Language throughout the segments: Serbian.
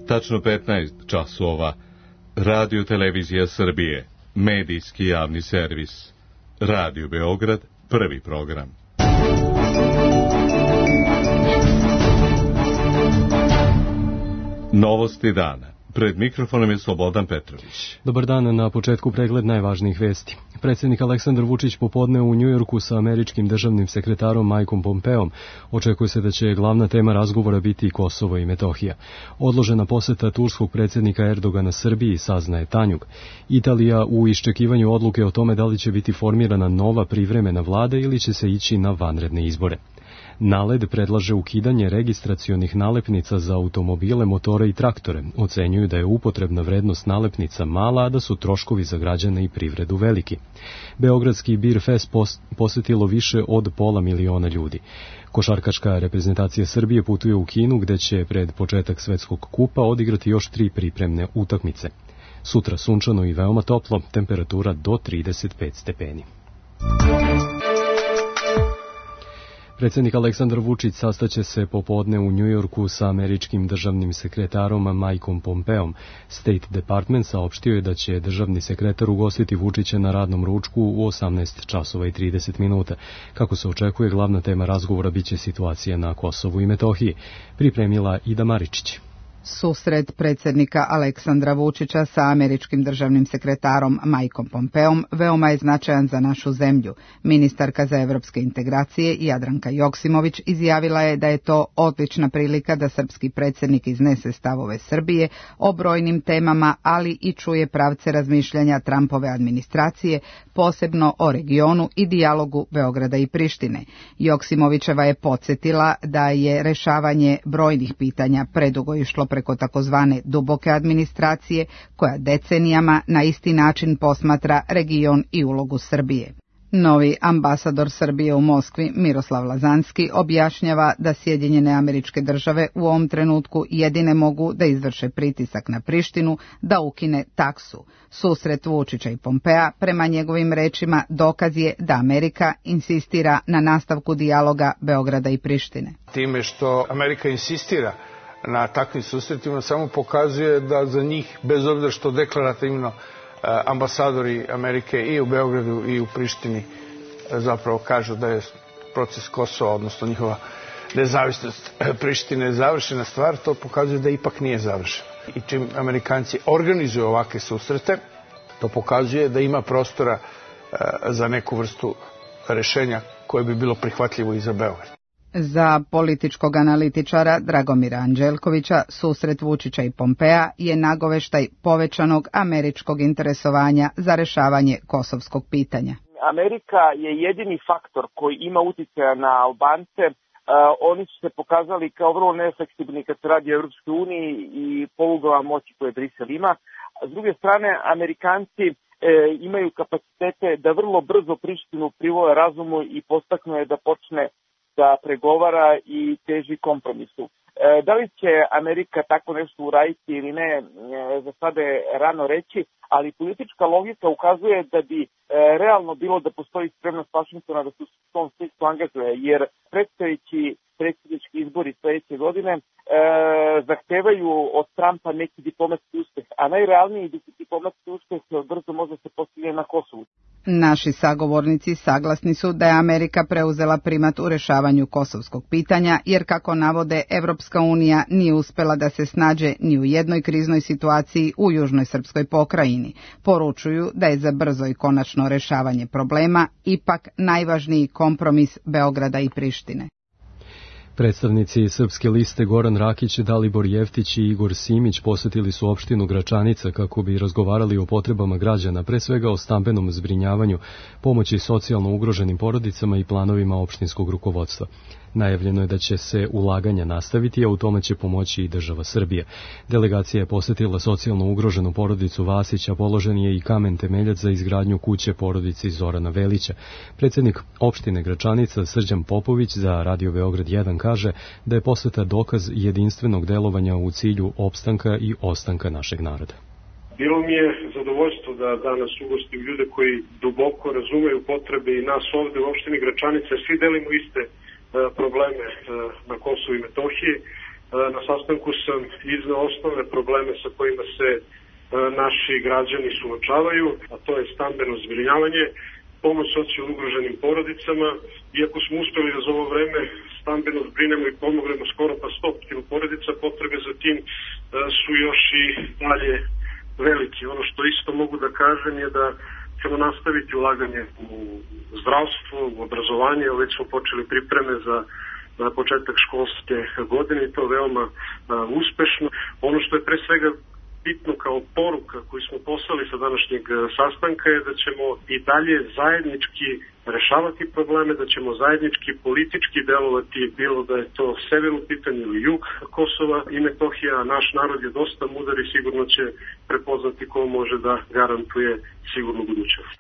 Tačno 15 časova. Radio Televizija Srbije. Medijski javni servis. Radio Beograd, prvi program. Novosti dana. Pred mikrofonom je Slobodan Petrović. Dobar dan, na početku pregled najvažnijih vesti. Predsjednik Aleksandar Vučić popodne u Njujorku sa američkim državnim sekretarom Mikeom Pompeom. Očekuje se da će glavna tema razgovora biti Kosovo i Metohija. Odložena poseta turskog predsjednika Erdogana Srbiji, saznaje Tanjug. Italija u iščekivanju odluke o tome da li će biti formirana nova privremena vlada ili će se ići na vanredne izbore. NALED predlaže ukidanje registracionih nalepnica za automobile, motore i traktore. Ocenjuju da je upotrebna vrednost nalepnica mala, a da su troškovi za građane i privredu veliki. Beogradski Beer Fest posjetilo više od 500.000 ljudi. Košarkaška reprezentacija Srbije putuje u Kinu, gde će pred početak svetskog kupa odigrati još 3 pripremne utakmice. Sutra sunčano i veoma toplo, temperatura do 35 stepeni. Predsjednik Aleksandar Vučić sastaće se popodne u Njujorku sa američkim državnim sekretarom Mikeom Pompeom. State Department saopštio je da će državni sekretar ugostiti Vučića na radnom ručku u 18 časova i 30 minuta. Kako se očekuje, glavna tema razgovora biće situacija na Kosovu i Metohiji. Pripremila Ida Maričić. Susret predsjednika Aleksandra Vučića sa američkim državnim sekretarom Mikeom Pompeom veoma je značajan za našu zemlju. Ministarka za evropske integracije Jadranka Joksimović izjavila je da je to odlična prilika da srpski predsjednik iznese stavove Srbije o brojnim temama, ali i čuje pravce razmišljanja Trumpove administracije, posebno o regionu i dijalogu Beograda i Prištine. Joksimovićeva je podsjetila da je rešavanje brojnih pitanja predugo išlo preko takozvane duboke administracije, koja decenijama na isti način posmatra region i ulogu Srbije. Novi ambasador Srbije u Moskvi, Miroslav Lazanski, objašnjava da Sjedinjene Američke Države u ovom trenutku jedine mogu da izvrše pritisak na Prištinu da ukine taksu. Susret Vučića i Pompea, prema njegovim rečima, dokaz je da Amerika insistira na nastavku dijaloga Beograda i Prištine. Time što Amerika insistira na takvim susretima samo pokazuje da za njih, bez obzira što deklarativno ambasadori Amerike i u Beogradu i u Prištini zapravo kažu da je proces Kosova, odnosno njihova nezavisnost Prištine završena stvar, to pokazuje da ipak nije završena. I čim Amerikanci organizuju ovakve susrete, to pokazuje da ima prostora za neku vrstu rešenja koje bi bilo prihvatljivo i za Beograd. Za političkog analitičara Dragomira Anđelkovića, susret Vučića i Pompea je nagoveštaj povećanog američkog interesovanja za rešavanje kosovskog pitanja. Amerika je jedini faktor koji ima uticaja na Albance. Oni su se pokazali kao vrlo nefleksibilni kad se radi o Evropskoj uniji i polugama moći koje Brisel ima. S druge strane, Amerikanci imaju kapacitete da vrlo brzo Prištinu privole razumu i postaknu je da počne da pregovara i teži kompromisu. Da li će Amerika tako nešto uraditi ili ne, za sada je rano reći, ali politička logika ukazuje da bi realno bilo da postoji spremnost Vašingtona da se u tom smislu angažuje, jer predstojeći predsjednički izbori sledeće godine zahtevaju od Trumpa neki diplomatski uspeh, a najrealniji diplomatski uspeh brzo može se postići na Kosovu. Naši sagovornici saglasni su da je Amerika preuzela primat u rešavanju kosovskog pitanja, jer kako navode, Evropska unija nije uspela da se snađe ni u jednoj kriznoj situaciji u južnoj srpskoj pokrajini. Poručuju da je za brzo i konačno rešavanje problema ipak najvažniji kompromis Beograda i Prištine. Predstavnici Srpske liste Goran Rakić, Dalibor Jeftić i Igor Simić posjetili su opštinu Gračanica kako bi razgovarali o potrebama građana, pre svega o stambenom zbrinjavanju, pomoći socijalno ugroženim porodicama i planovima opštinskog rukovodstva. Najavljeno je da će se ulaganja nastaviti, a u tome će pomoći i država Srbija. Delegacija je posjetila socijalno ugroženu porodicu Vasića, položen je i kamen temeljac za izgradnju kuće porodici Zorana Velića. Predsjednik opštine Gračanica Srđan Popović za Radio Beograd 1 kaže da je poseta dokaz jedinstvenog delovanja u cilju opstanka i ostanka našeg naroda. Bilo mi je zadovoljstvo da danas ugostim ljude koji duboko razumeju potrebe i nas ovde u opštini Gračanica. Svi delimo iste probleme na Kosovu i Metohiji Na sastanku sam izneo osnovne probleme sa kojima se naši građani suočavaju, a to je stambeno zbrinjavanje, pomoć socijalno ugroženim porodicama. Iako smo uspeli da za ovo vreme stambeno zbrinemo i pomognemo skoro pa 100 porodica, potrebe za tim su još i dalje veliki. Ono što isto mogu da kažem je da ćemo nastaviti ulaganje u zdravstvo, u obrazovanje. Već smo počeli pripreme za početak školske godine i to veoma uspešno. Ono što je pre svega bitno kao poruka koju smo poslali sa današnjeg sastanka je da ćemo i dalje zajednički rešavati probleme, da ćemo zajednički politički delovati, bilo da je to sever u pitanju ili jug Kosova i Metohija. Naš narod je dosta mudar i sigurno će prepoznati ko može da garantuje sigurnu budućnost.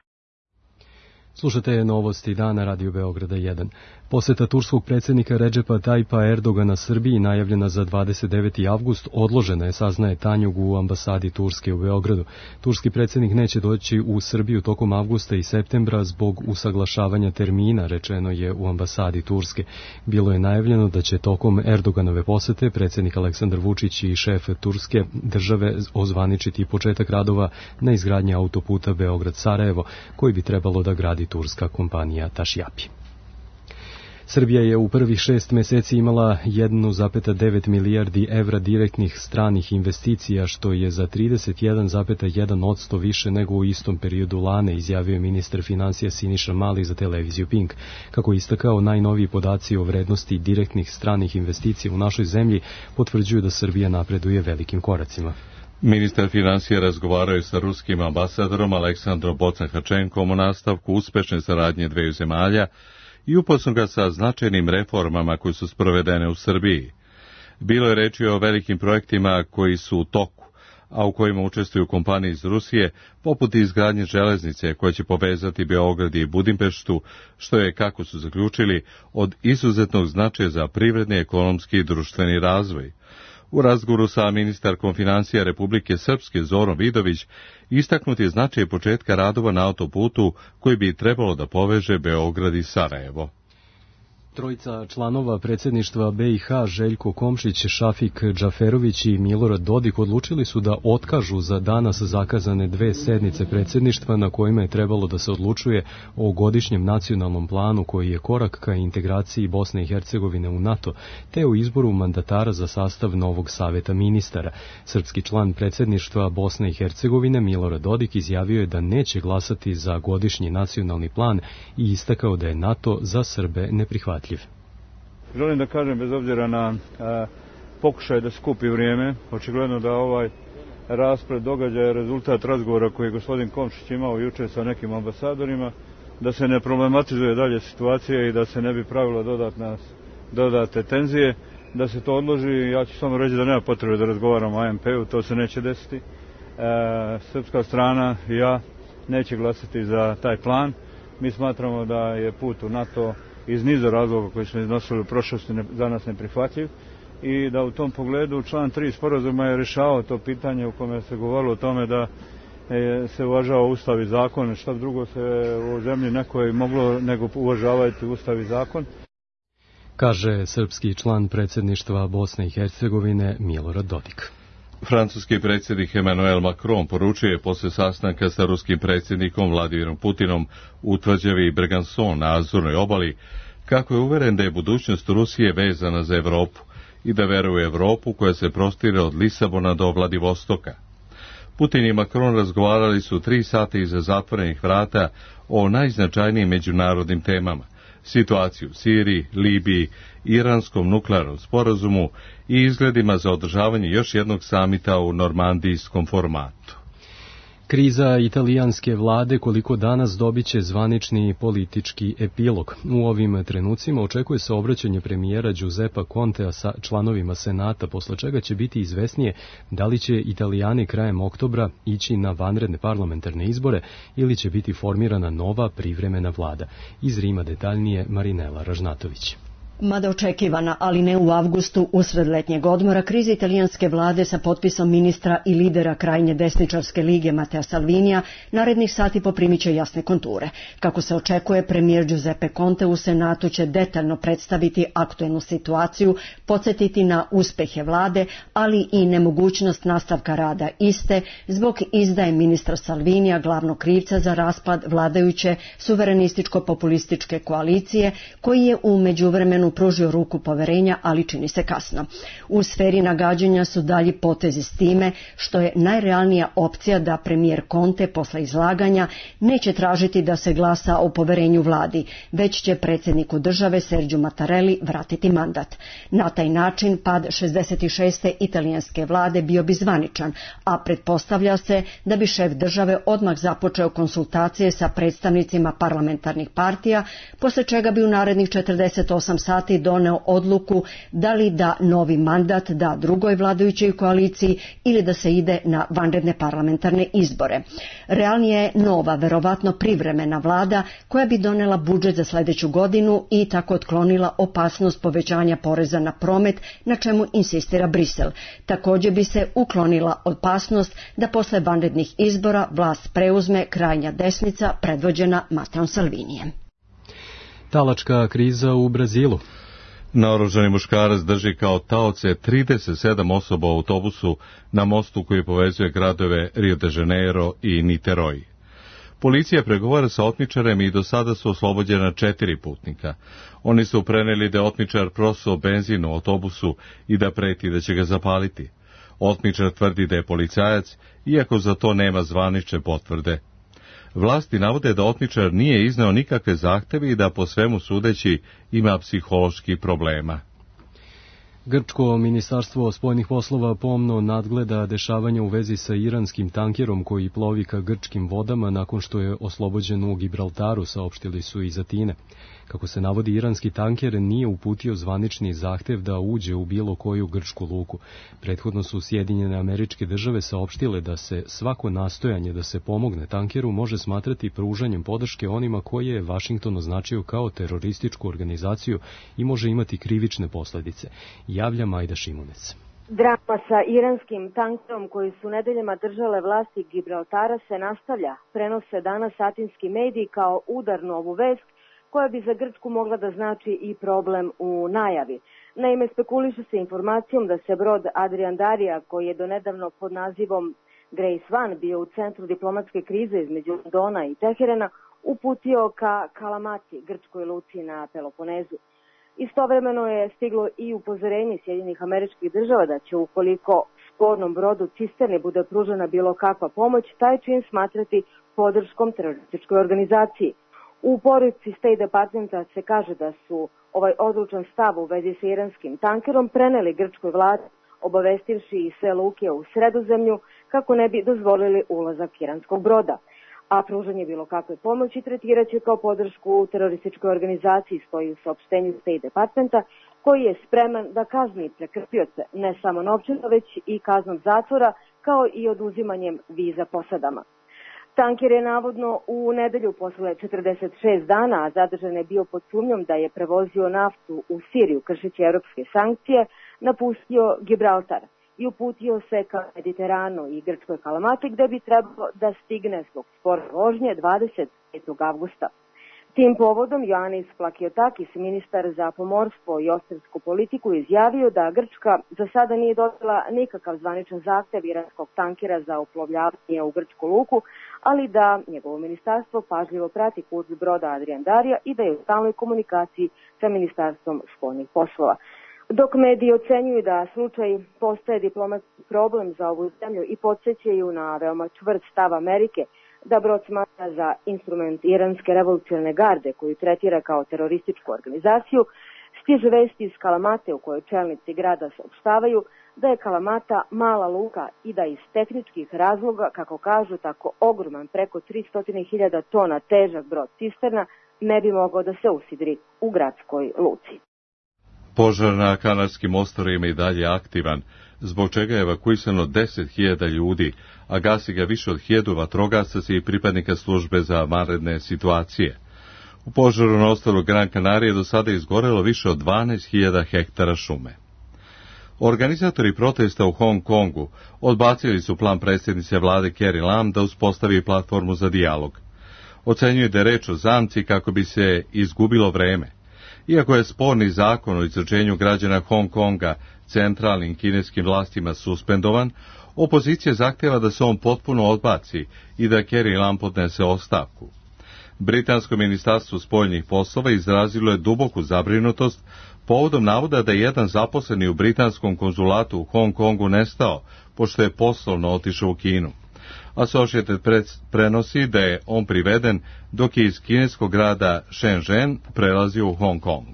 Slušate novosti dana Radio Beograda 1. Poseta turskog predsjednika Redžepa Tajpa Erdogana Srbiji najavljena za 29. avgust odložena je, saznaje Tanjug u ambasadi Turske u Beogradu. Turski predsjednik neće doći u Srbiju tokom avgusta i septembra zbog usaglašavanja termina, rečeno je u ambasadi Turske. Bilo je najavljeno da će tokom Erdoganove posete predsjednik Aleksandar Vučić i šef Turske države ozvaničiti početak radova na izgradnji autoputa Beograd-Sarajevo, koji bi trebalo da gradi turska kompanija Tašjapi. Srbija je u prvih 6 meseci imala 1,9 milijardi evra direktnih stranih investicija, što je za 31,1% više nego u istom periodu lane, izjavio je ministar finansija Siniša Mali za televiziju Pink. Kako je istakao, najnoviji podaci o vrednosti direktnih stranih investicija u našoj zemlji potvrđuju da Srbija napreduje velikim koracima. Ministar finansija razgovarao je sa ruskim ambasadorom Aleksandrom Bocan-Hačenkom o nastavku uspešne saradnje dveju zemalja i upoznao ga sa značajnim reformama koje su sprovedene u Srbiji. Bilo je reči o velikim projektima koji su u toku, a u kojima učestvuju kompanije iz Rusije, poput izgradnje železnice koja će povezati Beograd i Budimpeštu, što je, kako su zaključili, od izuzetnog značaja za privredni, ekonomski i društveni razvoj. U razgovoru sa ministarkom financija Republike Srpske Zorom Vidović istaknut je značaj početka radova na autoputu koji bi trebalo da poveže Beograd i Sarajevo. Trojica članova predsjedništva BiH, Željko Komšić, Šafik Džaferović i Milorad Dodik, odlučili su da otkažu za danas zakazane 2 sednice predsjedništva na kojima je trebalo da se odlučuje o godišnjem nacionalnom planu koji je korak ka integraciji Bosne i Hercegovine u NATO, te o izboru mandatara za sastav novog saveta ministara. Srpski član predsjedništva Bosne i Hercegovine Milorad Dodik izjavio je da neće glasati za godišnji nacionalni plan i istakao da je NATO za Srbe neprihvatljiv. Želim da kažem, bez obzira na pokušaj da skupi vrijeme, očigledno da ovaj raspred događaja je rezultat razgovora koji je gospodin Komšić imao jučer sa nekim ambasadorima, da se ne problematizuje dalje situacija i da se ne bi pravilo dodate tenzije, da se to odloži. Ja ću samo reći da nema potrebe da razgovaramo o ANP-u, to se neće desiti. Srpska strana i ja neće glasati za taj plan. Mi smatramo da je put u NATO iz niza razloga koji smo iznosili u prošlosti za nas neprihvatljiv i da u tom pogledu član 3 sporazuma je rješavao to pitanje u kome se govorilo o tome da se uvažava Ustav i zakon, šta drugo se u zemlji nekoj moglo nego uvažavati Ustav i zakon. Kaže srpski član predsjedništva Bosne i Hercegovine Milorad Dodik. Francuski predsjednik Emmanuel Macron poručio je posle sastanka sa ruskim predsjednikom Vladimirom Putinom u tvrđavi Bregazon na Azurnoj obali, kako je uveren da je budućnost Rusije vezana za Evropu i da veruje u Evropu koja se prostire od Lisabona do Vladivostoka. Putin i Macron razgovarali su 3 sata iza zatvorenih vrata o najznačajnijim međunarodnim temama, situaciju u Siriji, Libiji, iranskom nuklearnom sporazumu i izgledima za održavanje još jednog samita u normandijskom formatu. Kriza italijanske vlade koliko danas dobiće zvanični politički epilog. U ovim trenucima očekuje se obraćanje premijera Giuseppa Contea sa članovima Senata, posle čega će biti izvesnije da li će Italijani krajem oktobra ići na vanredne parlamentarne izbore ili će biti formirana nova privremena vlada. Iz Rima detaljnije Marinela Ražnatović. Mada očekivana, ali ne u avgustu, usred letnjeg odmora, kriza italijanske vlade sa potpisom ministra i lidera krajnje desničarske lige Matteo Salvinija narednih sati poprimit će jasne konture. Kako se očekuje, premijer Giuseppe Conte u Senatu će detaljno predstaviti aktuelnu situaciju, podsjetiti na uspehe vlade, ali i nemogućnost nastavka rada iste zbog izdaje ministra Salvinija, glavnog krivca za raspad vladajuće suverenističko-populističke koalicije, koji je u međuvremenu pružio ruku poverenja, ali čini se kasno. U sferi nagađanja su dalji potezi s time što je najrealnija opcija da premijer Conte posle izlaganja neće tražiti da se glasa o poverenju vladi, već će predsjedniku države Sergio Mattarelli vratiti mandat. Na taj način pad 66. italijanske vlade bio bi zvaničan, a pretpostavlja se da bi šef države odmah započeo konsultacije sa predstavnicima parlamentarnih partija, posle čega bi u narednih 48 sati doneo odluku da li da novi mandat da drugoj vladajućoj koaliciji ili da se ide na vanredne parlamentarne izbore. Realnije je nova, verovatno privremena vlada koja bi donela budžet za sljedeću godinu i tako otklonila opasnost povećanja poreza na promet, na čemu insistira Brisel. Također bi se uklonila opasnost da posle vanrednih izbora vlast preuzme krajnja desnica predvođena Matteom Salvinijem. Talačka kriza u Brazilu. Naoružani muškarac drži kao taoce 37 osoba u autobusu na mostu koji povezuje gradove Rio de Janeiro i Niterói. Policija pregovara sa otmičarem i do sada su oslobođena 4 putnika. Oni su preneli da je otmičar prosuo benzin u autobusu i da preti da će ga zapaliti. Otmičar tvrdi da je policajac, iako za to nema zvanične potvrde. Vlasti navode da otmičar nije izneo nikakve zahteve i da po svemu sudeći ima psiholoških problema. Grčko ministarstvo spoljnih poslova pomno nadgleda dešavanja u vezi sa iranskim tankerom koji plovi ka grčkim vodama nakon što je oslobođen u Gibraltaru, saopštili su iz Atine. Kako se navodi, iranski tanker nije uputio zvanični zahtev da uđe u bilo koju grčku luku. Prethodno su Sjedinjene Američke Države saopštile da se svako nastojanje da se pomogne tankeru može smatrati pružanjem podrške onima koje je Vašington označio kao terorističku organizaciju i može imati krivične posljedice. Javlja Majda Šimunec. Drama sa iranskim tankerom koji su nedeljama držale vlasti Gibraltara se nastavlja. Prenose danas atinski mediji kao udarnu ovu vest koja bi za Grčku mogla da znači i problem u najavi. Naime, spekuliše se informacijom da se brod Adrian Darija, koji je donedavno pod nazivom Grace One bio u centru diplomatske krize između Londona i Teherana, uputio ka Kalamati, grčkoj luci na Peloponezu. Istovremeno je stiglo i upozorenje Sjedinjenih Američkih Država da će, ukoliko spornom brodu cisterni bude pružena bilo kakva pomoć, taj čin smatrati podrškom terorističkoj organizaciji. U poruci State Departmenta se kaže da su ovaj odlučan stav u vezi sa iranskim tankerom preneli grčkoj vladi, obavestivši i sve luke u Sredozemlju kako ne bi dozvolili ulazak iranskog broda. A pružanje bilo kakve pomoći tretiraće kao podršku terorističkoj organizaciji, stoji u saopštenju State Departmenta, koji je spreman da kazni prekršioce ne samo novčano, već i kaznom zatvora, kao i oduzimanjem viza posadama. Tanker je navodno u nedelju posle 46 dana, a zadržan je bio pod sumnjom da je prevozio naftu u Siriju kršeći evropske sankcije, napustio Gibraltar i uputio se ka Mediteranu i grčkoj Kalamati, gde bi trebalo da stigne zbog spore vožnje 25. avgusta. Tim povodom Ioannis Plakiotakis, ministar za pomorstvo i ostransku politiku, izjavio da Grčka za sada nije dobila nikakav zvaničan zahtev iranskog tankera za uplovljavanje u grčku luku, ali da njegovo ministarstvo pažljivo prati kurs broda Adrian Darija i da je u stalnoj komunikaciji sa ministarstvom spoljnih poslova. Dok mediji ocenjuju da slučaj postaje diplomatski problem za ovu zemlju i podsjećaju na veoma čvrst stav Amerike da brod smatra za instrument iranske revolucionarne garde koju tretira kao terorističku organizaciju, stiže vesti iz Kalamate u kojoj čelnici grada saopštavaju da je Kalamata mala luka i da iz tehničkih razloga, kako kažu, tako ogroman preko 300.000 tona težak brod cisterna ne bi mogao da se usidri u gradskoj luci. Požar na Kanarskim ostrvima i dalje aktivan, zbog čega je evakuisano 10.000 ljudi, a gasi ga više od 1.000 vatrogasaca i pripadnika službe za vanredne situacije. U požaru na ostrvu Gran Canaria do sada izgorelo više od 12.000 hektara šume. Organizatori protesta u Hong Kongu odbacili su plan predsjednice vlade Carrie Lam da uspostavi platformu za dijalog. Ocenjuju da je reč o zamci kako bi se izgubilo vreme. Iako je sporni zakon o izručenju građana Hong Konga centralnim kineskim vlastima suspendovan, opozicija zahtjeva da se on potpuno odbaci i da Carrie Lam podnese ostavku. Britansko ministarstvo spoljnih poslova izrazilo je duboku zabrinutost povodom navoda da je jedan zaposleni u britanskom konzulatu u Hong Kongu nestao, pošto je poslovno otišao u Kinu. Associated Press prenosi da je on priveden dok je iz kineskog grada Shenzhen prelazio u Hong Kong.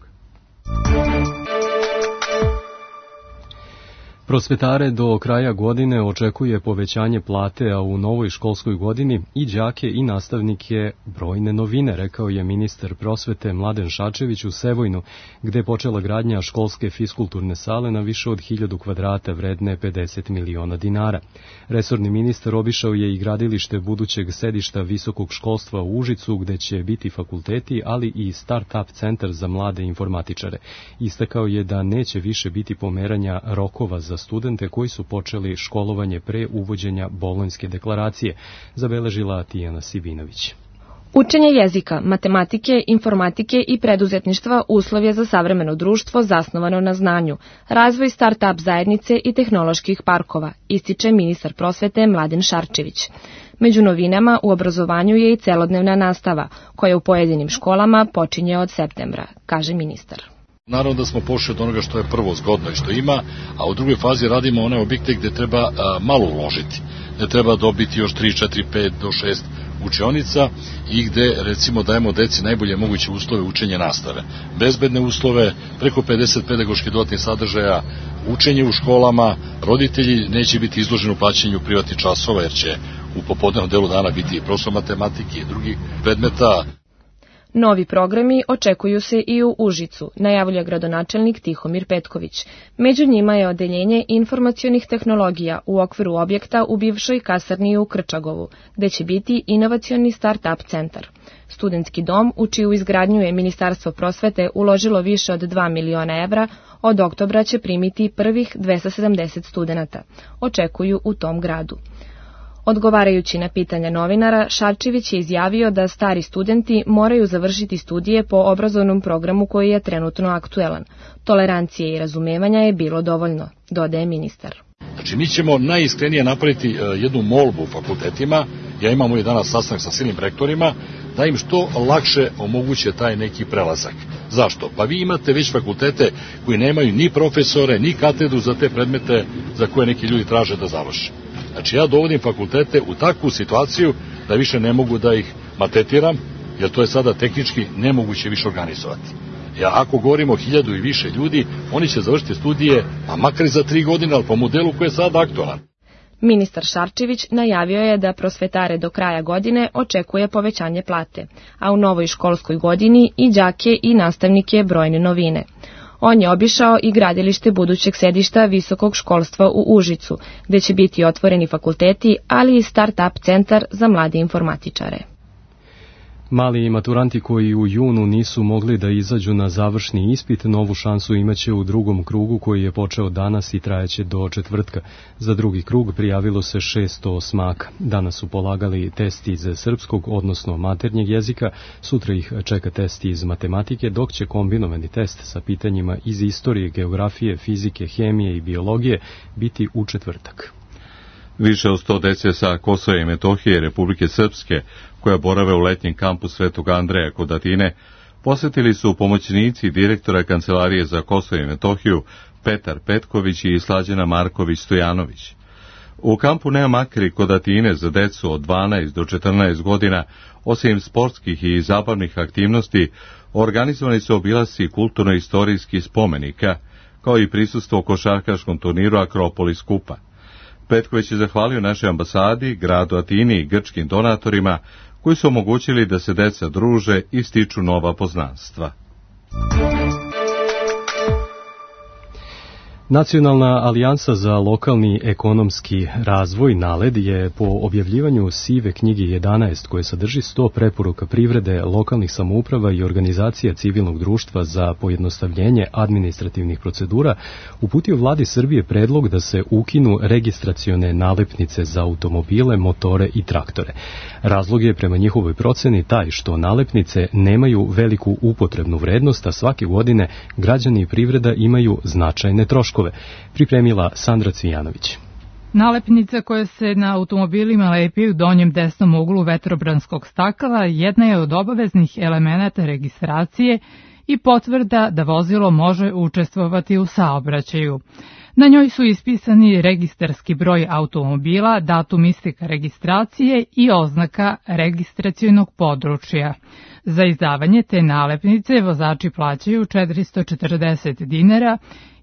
Prosvetare do kraja godine očekuje povećanje plate, a u novoj školskoj godini i đake i nastavnike brojne novine, rekao je ministar prosvete Mladen Šarčević u Sevojnu, gde je počela gradnja školske fiskulturne sale na više od 1000 kvadrata vredne 50 miliona dinara. Resorni ministar obišao je i gradilište budućeg sedišta visokog školstva u Užicu, gde će biti fakulteti, ali i start-up centar za mlade informatičare. Istakao je da neće više biti pomeranja rokova za studente koji su počeli školovanje pre uvođenja Bolonjske deklaracije, zabeležila Tijana Sibinović. Učenje jezika, matematike, informatike i preduzetništva uslov je za savremeno društvo zasnovano na znanju, razvoj start-up zajednice i tehnoloških parkova, ističe ministar prosvete Mladen Šarčević. Među novinama u obrazovanju je i celodnevna nastava, koja u pojedinim školama počinje od septembra, kaže ministar. Naravno da smo pošli od onoga što je prvo zgodno i što ima, a u drugoj fazi radimo one objekte gde treba malo uložiti. Gde treba dobiti još 3, 4, 5 do 6 učionica i gde recimo dajemo deci najbolje moguće uslove učenja nastave. Bezbedne uslove, preko 50 pedagoških dodatnih sadržaja, učenje u školama, roditelji neće biti izloženi u plaćanju privatnih časova jer će u popodnevnom delu dana biti i profesor matematike i drugih predmeta. Novi programi očekuju se i u Užicu, najavlja gradonačelnik Tihomir Petković. Među njima je odeljenje informacionih tehnologija u okviru objekta u bivšoj kasarni u Krčagovu, gde će biti inovacioni start-up centar. Studentski dom, u čiju izgradnju je Ministarstvo prosvete uložilo više od 2 miliona evra, od oktobra će primiti prvih 270 studenata, očekuju u tom gradu. Odgovarajući na pitanja novinara, Šarčević je izjavio da stari studenti moraju završiti studije po obrazovnom programu koji je trenutno aktuelan. Tolerancije i razumevanja je bilo dovoljno, dodaje ministar. Znači, mi ćemo najiskrenije napraviti jednu molbu u fakultetima, ja imamo i danas sastanak sa silnim rektorima, da im što lakše omoguće taj neki prelazak. Zašto? Pa vi imate već fakultete koji nemaju ni profesore, ni katedru za te predmete za koje neki ljudi traže da završe. Znači, ja dovodim fakultete u takvu situaciju da više ne mogu da ih maltretiram, jer to je sada tehnički nemoguće više organizovati. Ja, ako govorimo o 1000 i više ljudi, oni će završiti studije, a makar i za 3 godine, ali po modelu koji je sada aktualan. Ministar Šarčević najavio je da prosvetare do kraja godine očekuje povećanje plate, a u novoj školskoj godini i đake i nastavnike brojne novine. On je obišao i gradilište budućeg sedišta visokog školstva u Užicu, gde će biti otvoreni fakulteti, ali i start-up centar za mlade informatičare. Mali maturanti koji u junu nisu mogli da izađu na završni ispit, novu šansu imaće u drugom krugu koji je počeo danas i trajeće do četvrtka. Za drugi krug prijavilo se 600 osmaka. Danas su polagali testi iz srpskog, odnosno maternjeg jezika, sutra ih čeka testi iz matematike, dok će kombinovani test sa pitanjima iz istorije, geografije, fizike, hemije i biologije biti u četvrtak. Više od 100 dece sa Kosova i Metohije Republike Srpske, koja borave u letnjem kampu Svetog Andreja kod Atine, posjetili su pomoćnici direktora Kancelarije za Kosovo i Metohiju Petar Petković i Slađana Marković-Stojanović. U kampu nema makri kod Atine za decu od 12 do 14 godina, osim sportskih i zabavnih aktivnosti, organizovani su obilasci kulturno-istorijskih spomenika, kao i prisustvo košarkaškom turniru Akropolis Kupa. Petković je zahvalio našoj ambasadi, gradu Atini i grčkim donatorima koji su omogućili da se deca druže i stiču nova poznanstva. Nacionalna alijansa za lokalni ekonomski razvoj NALED je po objavljivanju sive knjige 11 koje sadrži 100 preporuka privrede, lokalnih samouprava i organizacija civilnog društva za pojednostavljenje administrativnih procedura uputio vladi Srbije predlog da se ukinu registracione nalepnice za automobile, motore i traktore. Razlog je prema njihovoj proceni taj što nalepnice nemaju veliku upotrebnu vrednost, a svake godine građani i privreda imaju značajne troškove. Pripremila Sandra Cvijanović. Nalepnica koja se na automobilima lepi u donjem desnom uglu vetrobranskog stakla jedna je od obaveznih elemenata registracije i potvrda da vozilo može učestvovati u saobraćaju. Na njoj su ispisani registarski broj automobila, datum isteka registracije i oznaka registracionog područja. Za izdavanje te nalepnice vozači plaćaju 440 dinara,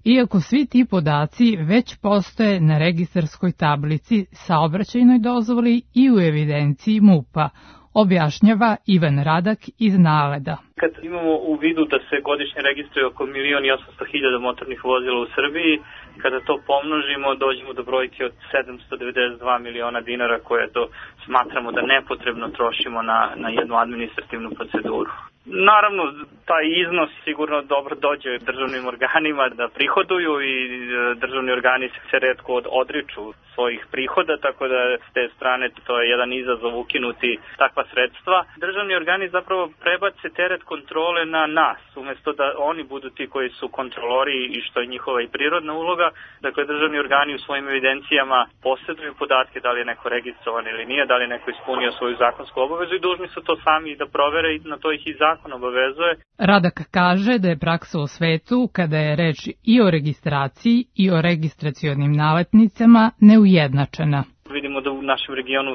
iako svi ti podaci već postoje na registarskoj tablici, saobraćajnoj dozvoli i u evidenciji MUP-a, objašnjava Ivan Radak iz NALED-a. Kad imamo u vidu da se godišnje registruje oko 1.800.000 motornih vozila u Srbiji, kada to pomnožimo, dođemo do brojke od 792 miliona dinara koje to smatramo da nepotrebno trošimo na jednu administrativnu proceduru. Naravno, taj iznos sigurno dobro dođe državnim organima da prihoduju i državni organi se retko odriču svojih prihoda, tako da s te strane to je jedan izazov ukinuti takva sredstva. Državni organi zapravo prebace teret kontrole na nas, umjesto da oni budu ti koji su kontrolori i što je njihova i prirodna uloga. Dakle, državni organi u svojim evidencijama posjeduju podatke da li je neko registrovan ili nije, da li je neko ispunio svoju zakonsku obavezu i dužni su to sami da provere i na to ih i zakon obavezuje. Radak kaže da je praksa u svetu, kada je reč i o registraciji i o registracionim nalepnicama, neujednačena. Vidimo da u našem regionu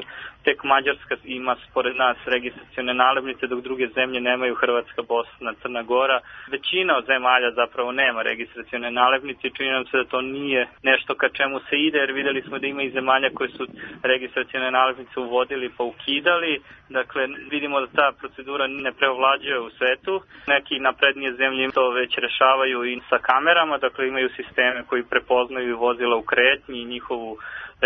tek Mađarska ima spored nas registracione nalepnice, dok druge zemlje nemaju, Hrvatska, Bosna, Crna Gora. Većina od zemalja zapravo nema registracione nalepnice i čini nam se da to nije nešto ka čemu se ide, jer videli smo da ima i zemalja koje su registracione nalepnice uvodili pa ukidali. Dakle, vidimo da ta procedura ne preovlađuje u svetu. Neki naprednije zemlje to već rešavaju i sa kamerama, dakle imaju sisteme koji prepoznaju vozila u kretnji i njihovu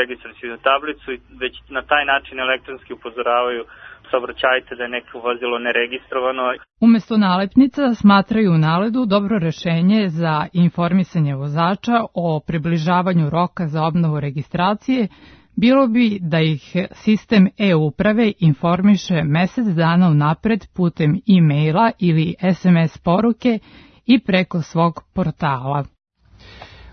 registracijnu tablicu i već na taj način elektronski upozoravaju saobraćajte da je neko vozilo neregistrovano. Umesto nalepnica smatraju u NALED-u dobro rešenje za informisanje vozača o približavanju roka za obnovu registracije bilo bi da ih sistem e-uprave informiše mesec dana unapred putem e-maila ili SMS poruke i preko svog portala.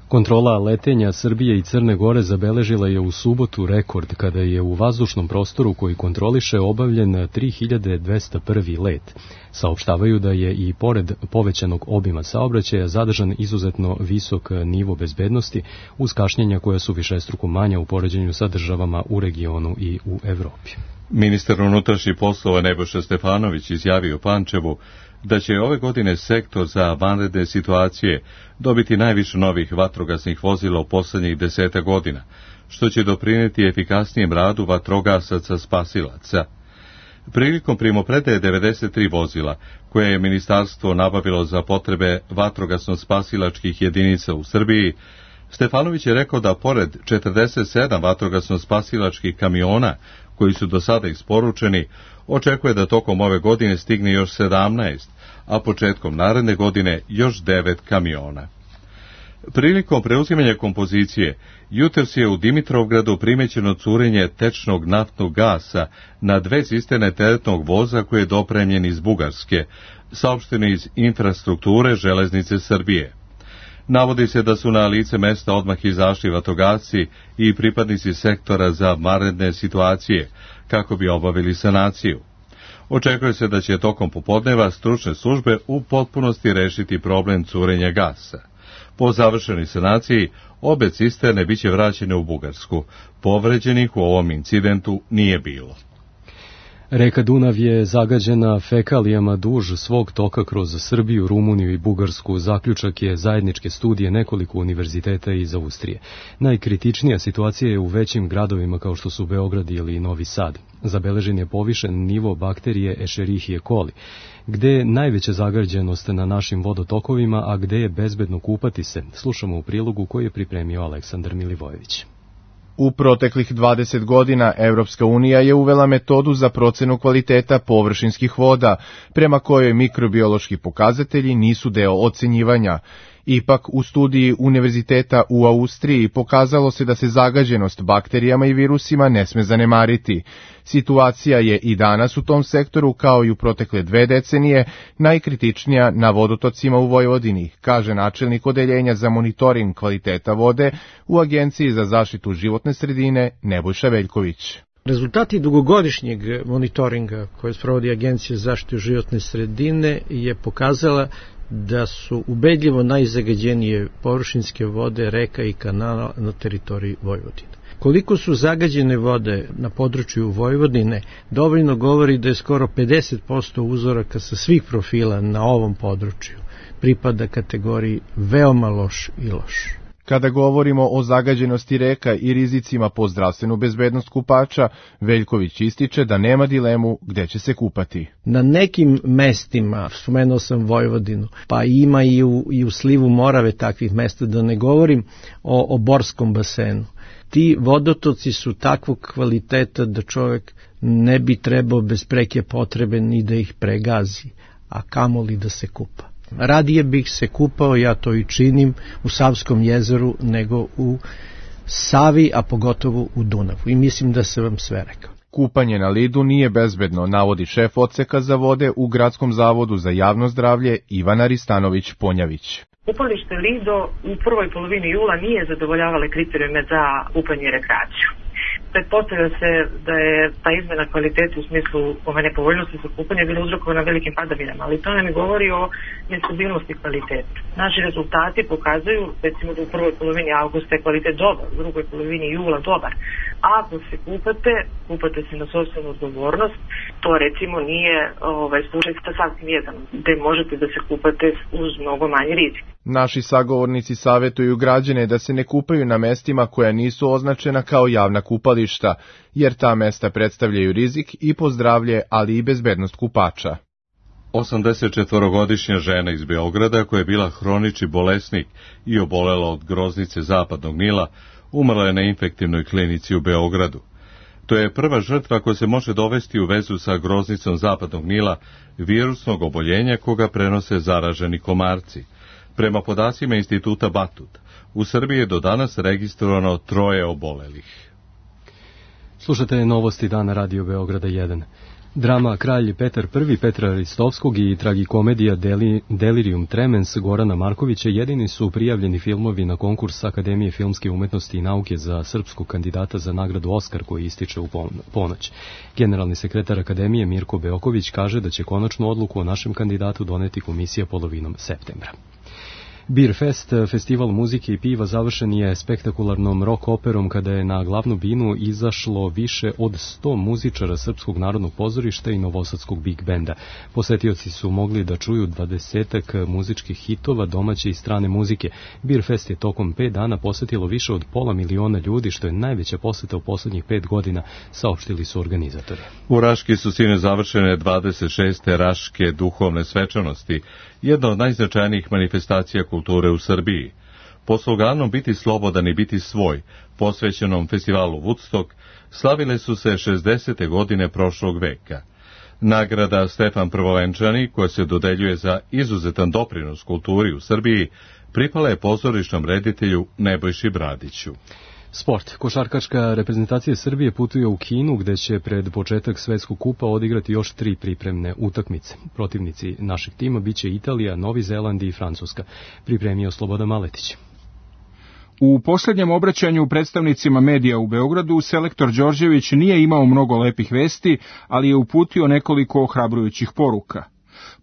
Kontrola letenja Srbije i Crne Gore zabeležila je u subotu rekord kada je u vazdušnom prostoru koji kontroliše obavljen 3201. let. Saopštavaju da je i pored povećanog obima saobraćaja zadržan izuzetno visok nivo bezbednosti uz kašnjenja koja su višestruko manja u poređenju sa državama u regionu i u Evropi. Ministar unutrašnjih poslova Nebojša Stefanović izjavio Pančevu da će ove godine sektor za vanredne situacije dobiti najviše novih vatrogasnih vozila u poslednjih 10 godina, što će doprineti efikasnijem radu vatrogasaca spasilaca. Prilikom primopredaje 93 vozila, koje je ministarstvo nabavilo za potrebe vatrogasno-spasilačkih jedinica u Srbiji, Stefanović je rekao da pored 47 vatrogasno-spasilačkih kamiona koji su do sada isporučeni, očekuje da tokom ove godine stigne još 17, a početkom naredne godine još 9 kamiona. Prilikom preuzimanja kompozicije, jutros je u Dimitrovgradu primećeno curenje tečnog naftnog gasa na 2 cisterne teretnog voza koje je dopremljen iz Bugarske, saopšteno iz infrastrukture Železnice Srbije. Navodi se da su na lice mesta odmah izašli vatrogasci i pripadnici sektora za vanredne situacije, kako bi obavili sanaciju. Očekuje se da će tokom popodneva stručne službe u potpunosti rešiti problem curenja gasa. Po završenoj sanaciji, obe cisterne biće vraćene u Bugarsku. Povređenih u ovom incidentu nije bilo. Reka Dunav je zagađena fekalijama duž svog toka kroz Srbiju, Rumuniju i Bugarsku. Zaključak je zajedničke studije nekoliko univerziteta iz Austrije. Najkritičnija situacija je u većim gradovima kao što su Beograd ili Novi Sad. Zabeležen je povišen nivo bakterije Escherichia coli, gde je najveća zagađenost na našim vodotokovima, a gde je bezbedno kupati se. Slušamo u prilogu koji je pripremio Aleksandar Milivojević. U proteklih 20 godina Evropska unija je uvela metodu za procenu kvaliteta površinskih voda, prema kojoj mikrobiološki pokazatelji nisu deo ocenjivanja. Ipak, u studiji Univerziteta u Austriji pokazalo se da se zagađenost bakterijama i virusima ne sme zanemariti. Situacija je i danas u tom sektoru, kao i u protekle 2 decenije, najkritičnija na vodotocima u Vojvodini, kaže načelnik odeljenja za monitoring kvaliteta vode u Agenciji za zaštitu životne sredine Nebojša Veljković. Rezultati dugogodišnjeg monitoringa koje sprovodi Agencija za zaštitu životne sredine je pokazala da su ubedljivo najzagađenije površinske vode reka i kanala na teritoriji Vojvodine. Koliko su zagađene vode na području Vojvodine, dovoljno govori da je skoro 50% uzoraka sa svih profila na ovom području pripada kategoriji veoma loš i loš. Kada govorimo o zagađenosti reka i rizicima po zdravstvenu bezbednost kupača, Veljković ističe da nema dilemu gde će se kupati. Na nekim mestima, spomenuo sam Vojvodinu, pa ima i u slivu Morave takvih mesta, da ne govorim o Borskom basenu. Ti vodotoci su takvog kvaliteta da čovjek ne bi trebao bez preke potrebe ni da ih pregazi, a kamoli da se kupa. Radije bih se kupao, ja to i činim, u Savskom jezeru nego u Savi, a pogotovo u Dunavu. I mislim da sam vam sve rekao. Kupanje na lidu nije bezbedno, navodi šef odseka za vode u Gradskom zavodu za javno zdravlje Ivana Ristanović-Ponjavić. Kupalište Lido u prvoj polovini jula nije zadovoljavale kriterijume za kupanje i rekreaciju. Pretpostavlja se da je ta izmena kvaliteta u smislu ove nepovoljnosti za kupanje bila uzrokovana velikim padavinama, ali to nam govori o nestabilnosti kvaliteta. Naši rezultati pokazuju, recimo da u prvoj polovini avgusta je kvalitet dobar, u drugoj polovini jula dobar. A ako se kupate se na sopstvenu odgovornost, to recimo nije slučaj sa sasvim jedan, gde možete da se kupate uz mnogo manji rizik. Naši sagovornici savjetuju građane da se ne kupaju na mestima koja nisu označena kao javna kupališta, jer ta mesta predstavljaju rizik i po zdravlje, ali i bezbednost kupača. 84-godišnja žena iz Beograda, koja je bila hronični bolesnik i obolela od groznice Zapadnog Nila, umrla je na infektivnoj klinici u Beogradu. To je prva žrtva koja se može dovesti u vezu sa groznicom Zapadnog Nila, virusnog oboljenja koga prenose zaraženi komarci. Prema podacima instituta Batut, u Srbiji je do danas registrovano 3 obolelih. Slušate novosti dana Radio Beograda 1. Drama Kralj Petar I Petra Ristovskog i tragikomedija Delirium Tremens Gorana Markovića jedini su prijavljeni filmovi na konkurs Akademije filmske umetnosti i nauke za srpskog kandidata za nagradu Oskar koji ističe u ponoć. Generalni sekretar Akademije Mirko Beoković kaže da će konačnu odluku o našem kandidatu doneti komisija polovinom septembra. Beer Fest, festival muzike i piva, završen je spektakularnom rock operom kada je na glavnu binu izašlo više od 100 muzičara Srpskog narodnog pozorišta i Novosadskog Big Benda. Posetioci su mogli da čuju 20-ak muzičkih hitova domaće i strane muzike. Beer Fest je tokom 5 dana posetilo više od 500.000 ljudi, što je najveća poseta u poslednjih 5 godina, saopštili su organizatori. U Raški su sine završene 26. Raške duhovne svečanosti, jedna od najznačajnijih manifestacija kulture u Srbiji. Po sloganom Biti slobodan i biti svoj, posvećenom festivalu Woodstock, slavile su se 60. godine prošlog veka. Nagrada Stefan Prvovenčani, koja se dodeljuje za izuzetan doprinos kulturi u Srbiji, pripala je pozorišnom reditelju Nebojši Bradiću. Sport. Košarkaška reprezentacija Srbije putuje u Kinu, gde će pred početak Svetskog kupa odigrati još 3 pripremne utakmice. Protivnici našeg tima biće Italija, Novi Zeland i Francuska. Pripremio Slobodan Maletić. U posljednjem obraćanju predstavnicima medija u Beogradu, selektor Đorđević nije imao mnogo lepih vesti, ali je uputio nekoliko ohrabrujućih poruka.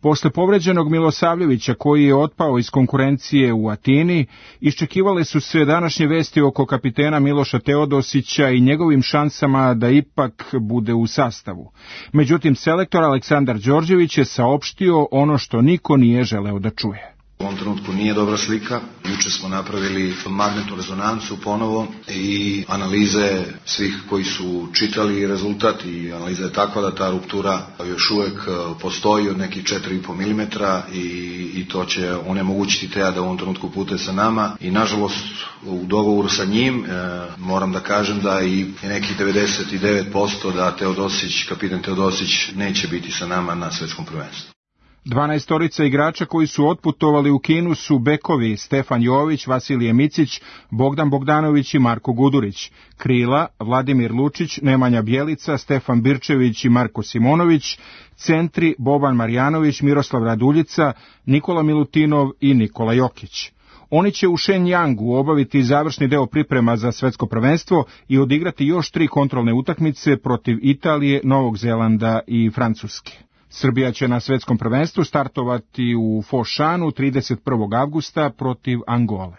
Posle povređenog Milosavljevića koji je otpao iz konkurencije u Atini, iščekivale su se današnje vesti oko kapitena Miloša Teodosića i njegovim šansama da ipak bude u sastavu. Međutim, selektor Aleksandar Đorđević je saopštio ono što niko nije želeo da čuje. U ovom trenutku nije dobra slika. Juče smo napravili magnetnu rezonancu ponovo i analize svih koji su čitali rezultat i analiza je takva da ta ruptura još uvek postoji od nekih 4,5 mm i to će onemogućiti Teja da u ovom trenutku putuje sa nama i nažalost u dogovoru sa njim moram da kažem da i nekih 99% da kapitan Teodosić neće biti sa nama na svetskom prvenstvu. 12 igrača koji su otputovali u Kinu su bekovi Stefan Jović, Vasilije Micić, Bogdan Bogdanović i Marko Gudurić. Krila Vladimir Lučić, Nemanja Bjelica, Stefan Birčević i Marko Simonović. Centri Boban Marjanović, Miroslav Raduljica, Nikola Milutinov i Nikola Jokić. Oni će u Shenyang obaviti završni deo priprema za svetsko prvenstvo i odigrati još 3 kontrolne utakmice protiv Italije, Novog Zelanda i Francuske. Srbija će na svetskom prvenstvu startovati u Fošanu 31. avgusta protiv Angole.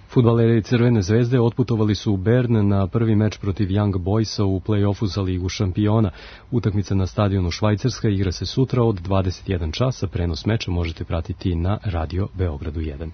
Fudbaleri Crvene zvezde otputovali su u Bern na prvi meč protiv Young Boysa u play-offu za Ligu šampiona. Utakmica na stadionu Švajcarska igra se sutra od 21 časa. Prenos meča možete pratiti na Radio Beogradu 1.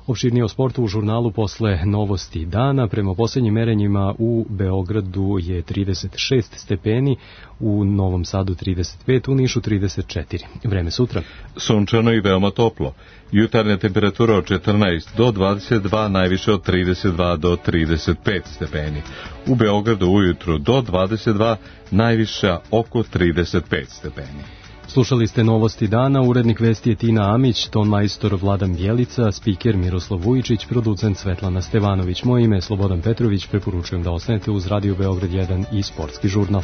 Opširnije o sportu u žurnalu posle novosti dana. Prema posljednjim merenjima u Beogradu je 36 stepeni, u Novom Sadu 35, u Nišu 34. Vreme sutra. Sunčano i veoma toplo. Jutarnja temperatura od 14 do 22, najviše od 32 do 35 stepeni. U Beogradu ujutru do 22, najviša oko 35 stepeni. Slušali ste novosti dana, urednik vesti je Tina Amić, ton majstor Vladan Bjelica, spiker Miroslav Vujičić, producent Svetlana Stevanović. Moje ime je Slobodan Petrović, preporučujem da ostanete uz Radio Beograd 1 i sportski žurnal.